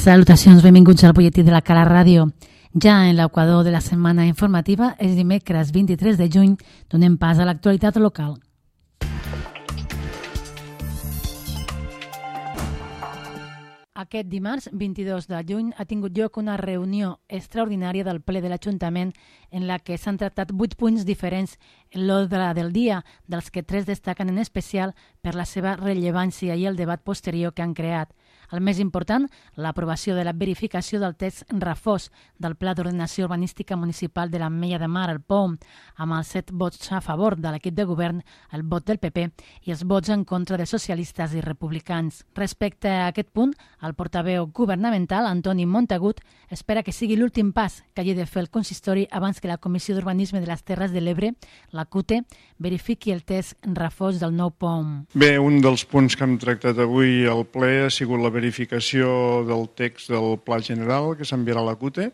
Salutacions, benvinguts al butlletí de la Cala Ràdio. Ja en l'equador de la setmana informativa és dimecres 23 de juny, donem pas a l'actualitat local. Aquest dimarts, 22 de juny, ha tingut lloc una reunió extraordinària del ple de l'Ajuntament en la que s'han tractat 8 punts diferents en l'ordre del dia, dels que 3 destaquen en especial per la seva rellevància i el debat posterior que han creat. El més important, l'aprovació de la verificació del text refós del Pla d'Ordenació Urbanística Municipal de l'Ametlla de Mar, el POM, amb els 7 vots a favor de l'equip de govern, el vot del PP i els vots en contra de socialistes i republicans. Respecte a aquest punt, el portaveu governamental, Antoni Montagut, espera que sigui l'últim pas que hagi de fer el consistori abans que la Comissió d'Urbanisme de les Terres de l'Ebre, la CUTE, verifiqui el text refós del nou POM. Bé, un dels punts que hem tractat avui al ple ha sigut la verificació del text del Pla General que s'enviarà a la CUTE.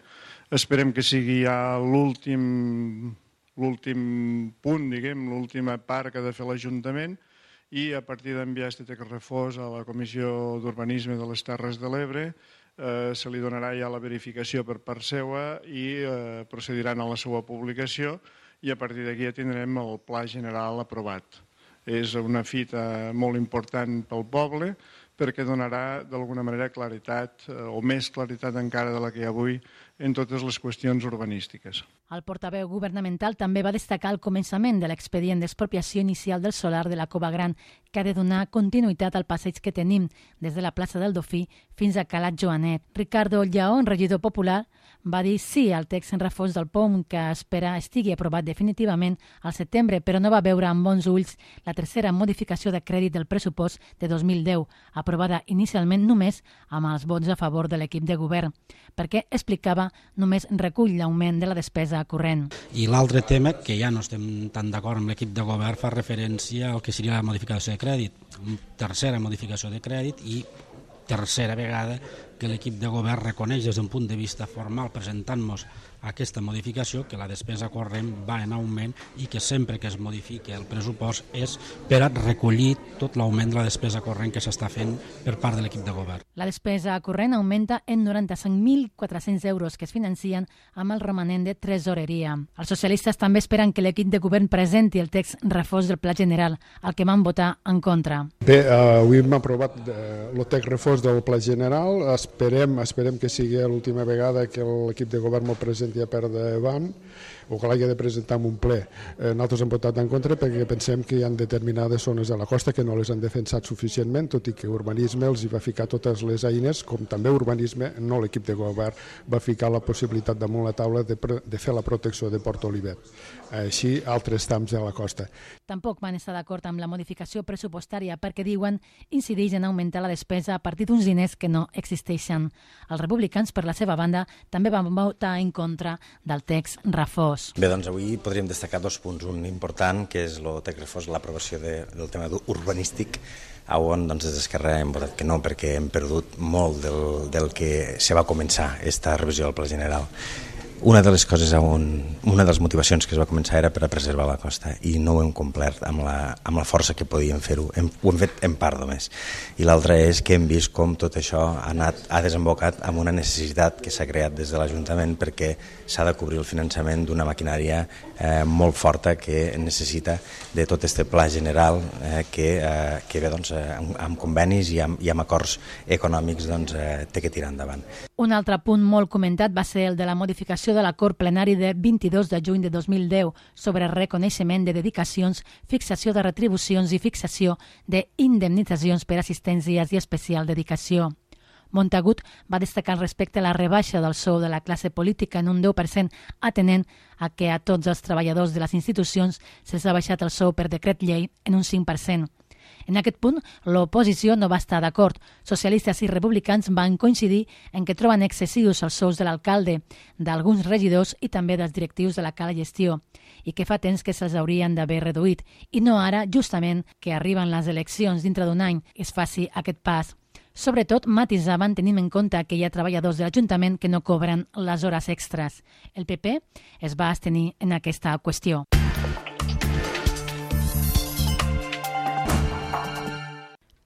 Esperem que sigui ja l'últim punt, l'última part que ha de fer l'Ajuntament, i a partir d'enviar aquest text refós a la Comissió d'Urbanisme de les Terres de l'Ebre se li donarà ja la verificació per part seva i procediran a la seva publicació i a partir d'aquí ja tindrem el Pla General aprovat. És una fita molt important pel poble perquè donarà d'alguna manera claritat o més claritat encara de la que hi ha avui en totes les qüestions urbanístiques. El portaveu governamental també va destacar el començament de l'expedient d'expropiació inicial del solar de la Cova Gran, que ha de donar continuïtat al passeig que tenim des de la plaça del Dofí fins a Calat Joanet. Ricardo Lleón, regidor popular, va dir sí al text en refós del POM que espera estigui aprovat definitivament al setembre, però no va veure amb bons ulls la tercera modificació de crèdit del pressupost de 2010, aprovada inicialment només amb els vots a favor de l'equip de govern, perquè, explicava, només recull l'augment de la despesa corrent. I l'altre tema, que ja no estem tan d'acord amb l'equip de govern, fa referència al que seria la modificació de crèdit. Tercera modificació de crèdit i tercera vegada que l'equip de govern reconeix des d'un punt de vista formal presentant-nos aquesta modificació que la despesa corrent va en augment i que sempre que es modifiqui el pressupost és per a recollir tot l'augment de la despesa corrent que s'està fent per part de l'equip de govern. La despesa corrent augmenta en 95.400 euros que es financien amb el romanent de tresoreria. Els socialistes també esperen que l'equip de govern presenti el text refós del Pla General, al que van votar en contra. Bé, avui hem aprovat el text refós del Pla General. Esperem que sigui l'última vegada que l'equip de govern m'ho presenti a per davant o que l'hagi de presentar en un ple. Nosaltres hem votat en contra perquè pensem que hi ha determinades zones de la costa que no les han defensat suficientment, tot i que urbanisme els hi va ficar totes les eines, com també urbanisme, no l'equip de govern, va ficar la possibilitat damunt la taula de fer la protecció de Port Olivet. Així, altres trams de la costa. Tampoc van estar d'acord amb la modificació pressupostària perquè diuen incideix en augmentar la despesa a partir d'uns diners que no existeixen. Els republicans, per la seva banda, també van votar en contra del text refós. Bé, doncs avui podríem destacar 2 punts. Un important, que és el text refós, l'aprovació del tema urbanístic, on des d'Esquerra hem votat que no, perquè hem perdut molt del que se va començar aquesta revisió del Pla General. Una de les coses, una de les motivacions que es va començar era per a preservar la costa i no ho hem complert amb la força que podíem fer-ho, ho hem fet en part només. I l'altra és que hem vist com tot això ha desembocat amb una necessitat que s'ha creat des de l'Ajuntament perquè s'ha de cobrir el finançament d'una maquinària molt forta que necessita de tot aquest pla general que bé, doncs, amb convenis i amb acords econòmics té que tirar endavant. Un altre punt molt comentat va ser el de la modificació de l'acord plenari de 22 de juny de 2010 sobre reconeixement de dedicacions, fixació de retribucions i fixació d'indemnitzacions per assistències i especial dedicació. Montagut va destacar respecte a la rebaixa del sou de la classe política en un 10%, atenent a que a tots els treballadors de les institucions se'ls ha baixat el sou per decret llei en un 5%. En aquest punt, l'oposició no va estar d'acord. Socialistes i republicans van coincidir en que troben excessius els sous de l'alcalde, d'alguns regidors i també dels directius de la Cala Gestió, i que fa temps que se'ls haurien d'haver reduït, i no ara, justament, que arriben les eleccions dintre d'un any, es faci aquest pas. Sobretot, matisaven tenint en compte que hi ha treballadors de l'Ajuntament que no cobren les hores extres. El PP es va abstenir en aquesta qüestió.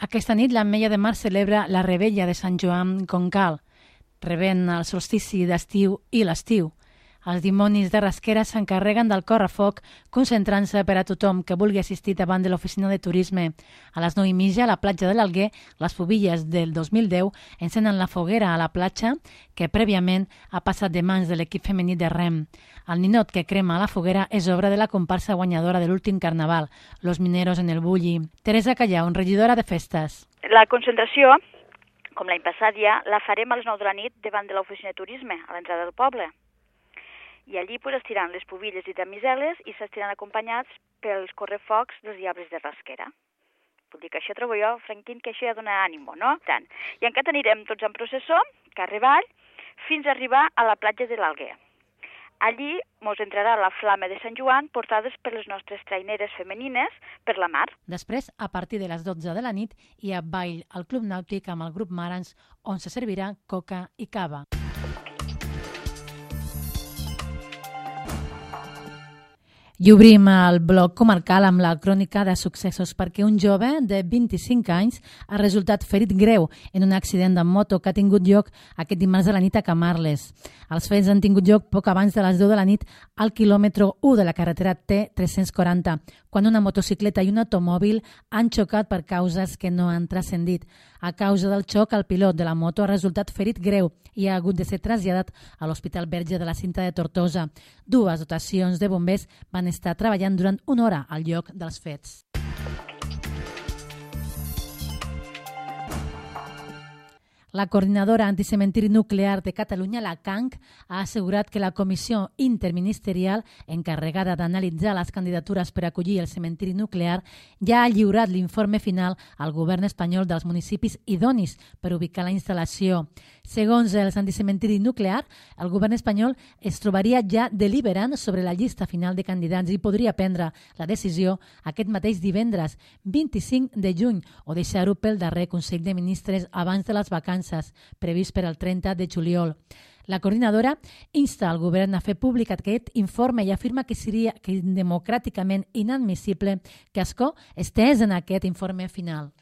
Aquesta nit l'Ametlla de Mar celebra la Revetlla de Sant Joan Concal. rebent el solstici d'estiu i l'estiu. Els dimonis de Rasquera s'encarreguen del correfoc, concentrant-se per a tothom que vulgui assistir davant de l'oficina de turisme. A les 9:30, a la platja de l'Alguer, les Pubilles del 2010 encenen la foguera a la platja, que prèviament ha passat de mans de l'equip femení de rem. El ninot que crema a la foguera és obra de la comparsa guanyadora de l'últim carnaval, Los Mineros en el Bulli. Teresa Callau, regidora de festes. La concentració, com l'any passat ja, la farem a les 9 de la nit davant de l'oficina de turisme, a l'entrada del poble. I allí es tiran les pubilles i damiseles i s'estiran acompanyats pels correfocs dels diables de Rasquera. Vull dir que això trobo jo, Franquín, que això ja dona ànimo, no? Tant. I encara anirem tots en processó, carrer avall, fins a arribar a la platja de l'Alguer. Allí mos entrarà la flama de Sant Joan portades per les nostres traineres femenines per la mar. Després, a partir de les 12 de la nit, hi ha ball al Club Nàutic amb el grup Marans, on se servirà coca i cava. I obrim el bloc comarcal amb la crònica de successos perquè un jove de 25 anys ha resultat ferit greu en un accident de moto que ha tingut lloc aquest dimarts a la nit a Camarles. Els fets han tingut lloc poc abans de les 10 de la nit al quilòmetre 1 de la carretera T340, quan una motocicleta i un automòbil han xocat per causes que no han transcendit. A causa del xoc, el pilot de la moto ha resultat ferit greu i ha hagut de ser traslladat a l'Hospital Verge de la Cinta de Tortosa. Dues dotacions de bombers van estar treballant durant una hora al lloc dels fets. La coordinadora anticementiri nuclear de Catalunya, la CANC, ha assegurat que la comissió interministerial encarregada d'analitzar les candidatures per acollir el cementiri nuclear ja ha lliurat l'informe final al govern espanyol dels municipis idonis per ubicar la instal·lació. Segons els anticementiri nuclear, el govern espanyol es trobaria ja deliberant sobre la llista final de candidats i podria prendre la decisió aquest mateix divendres, 25 de juny, o deixar-ho pel darrer Consell de Ministres abans de les vacances previst per al 30 de juliol. La coordinadora insta al govern a fer públic aquest informe i afirma que seria democràticament inadmissible que Ascó estés en aquest informe final.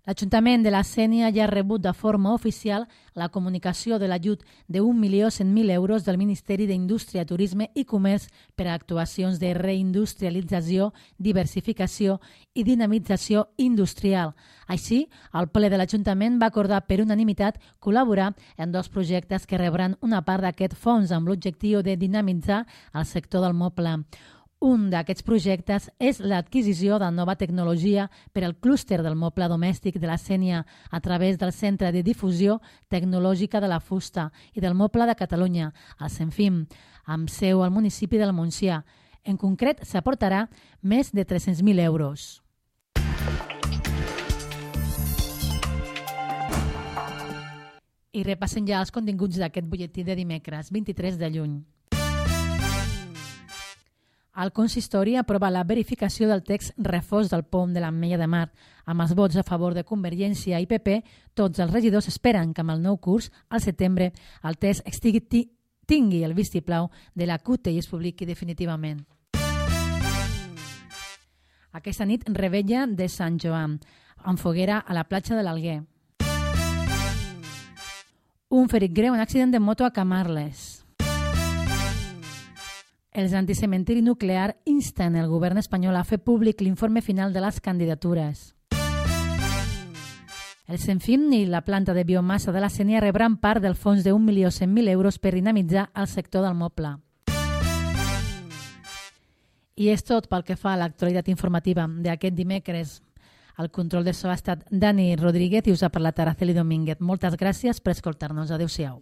L'Ajuntament de la Sénia ja ha rebut de forma oficial la comunicació de l'ajut de 1.100.000 euros del Ministeri d'Indústria, Turisme i Comerç per a actuacions de reindustrialització, diversificació i dinamització industrial. Així, el ple de l'Ajuntament va acordar per unanimitat col·laborar en dos projectes que rebran una part d'aquest fons amb l'objectiu de dinamitzar el sector del moble. Un d'aquests projectes és l'adquisició de nova tecnologia per al clúster del moble domèstic de la Sénia a través del Centre de Difusió Tecnològica de la Fusta i del Moble de Catalunya, el CENFIM, amb seu al municipi del Montsià. En concret, s'aportarà més de 300.000 euros. I repassen ja els continguts d'aquest butlletí de dimecres, 23 de juny. El consistori aprova la verificació del text refós del POM de l'Ametlla de Mar. Amb els vots a favor de Convergència i PP, tots els regidors esperen que amb el nou curs, al setembre, el text tingui el vistiplau de la CUT i es publiqui definitivament. Aquesta nit, revetlla de Sant Joan, amb foguera a la platja de l'Alguer. Un ferit greu en accident de moto a Camarles. Els anticementiri nuclear insten el govern espanyol a fer públic l'informe final de les candidatures. El CENFIM i la planta de biomassa de la Sénia rebran part del fons de 1.100.000 euros per dinamitzar el sector del moble. I és tot pel que fa a l'actualitat informativa d'aquest dimecres. Al control de so ha estat Dani Rodríguez i us ha parlat Araceli Domínguez. Moltes gràcies per escoltar-nos. Adéu-siau.